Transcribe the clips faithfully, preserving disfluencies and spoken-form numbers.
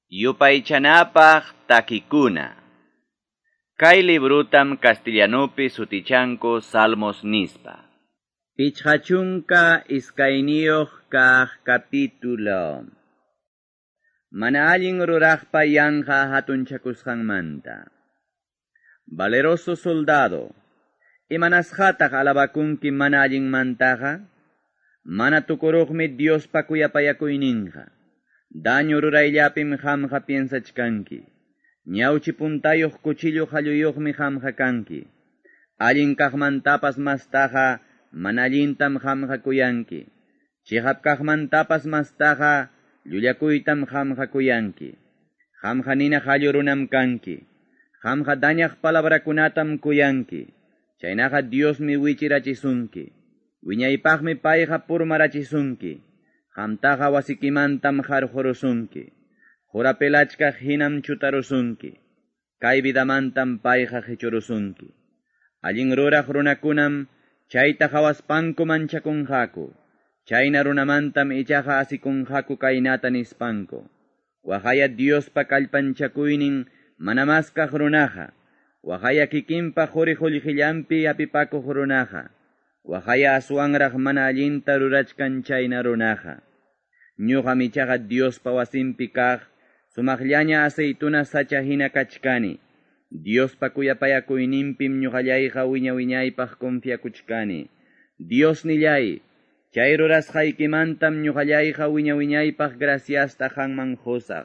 Yupaychanapaq takikuna. Kay librutam castellanupi sutichanku Salmos nispa. Pichqa chunka iskayniyuq kaq capítulo. Mana allin ruraqpa yanqa hatunchakusqanmanta. Valeroso soldado, imanasqataq alabakunki mana allinmantaqa? Mana tukuruqmi Diospa kuyapayakuyninqa. Daño rurayllapim qamqa piensachkanki. Ñawchi puntayuq cuchillo qalluyuqmi qamqa kanki. Allin kaqmantapas mastaqa mana allintam qamqa kuyanki. Chiqap kaqmantapas mastaqa llullakuytam qamqa kuyanki. Qamqa nina qallu runam kanki. Qamqa dañaq palabrakunatam kuyanki. Chaynaqa Diosmi wichirachisunki. Wiñaypaqmi payqa purmarachisunki. Qamtaqa wasikimantam qarqurusunki. Qurapelachkaq hinam chutarusunki. Kay vidamantam payqa qichurusunki. Allin ruraq runakunam chayta qhawaspanku manchakunqaku. Chayna runamantam ichaqa asikunqaku kaynata nispanku. Waqaya Diospa kallpanchakuynin mana maskaq runaqa. Waqaya kikinpa quri qullqillanpi hapipakuq runaqa. Waqaya aswanraq mana allinta rurachkan chayna runaqa. Ñuqam ichaqa Diospa wasinpi kaq sumaqllaña aceituna sacha hina kachkani. Diospa kuyapayakuyninpim ñuqallayqa wiña wiñaypaq confiakuchkani. Dios nillay, chay rurasqaykimantam ñuqallayqa wiña wiñaypaq graciasta qanman qusaq.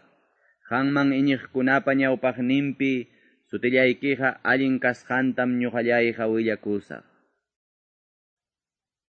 Qanman iñiqkunapa ñawpaqninpi sutillaykiqa allin kasqantam ñuqallayqa willakusaq.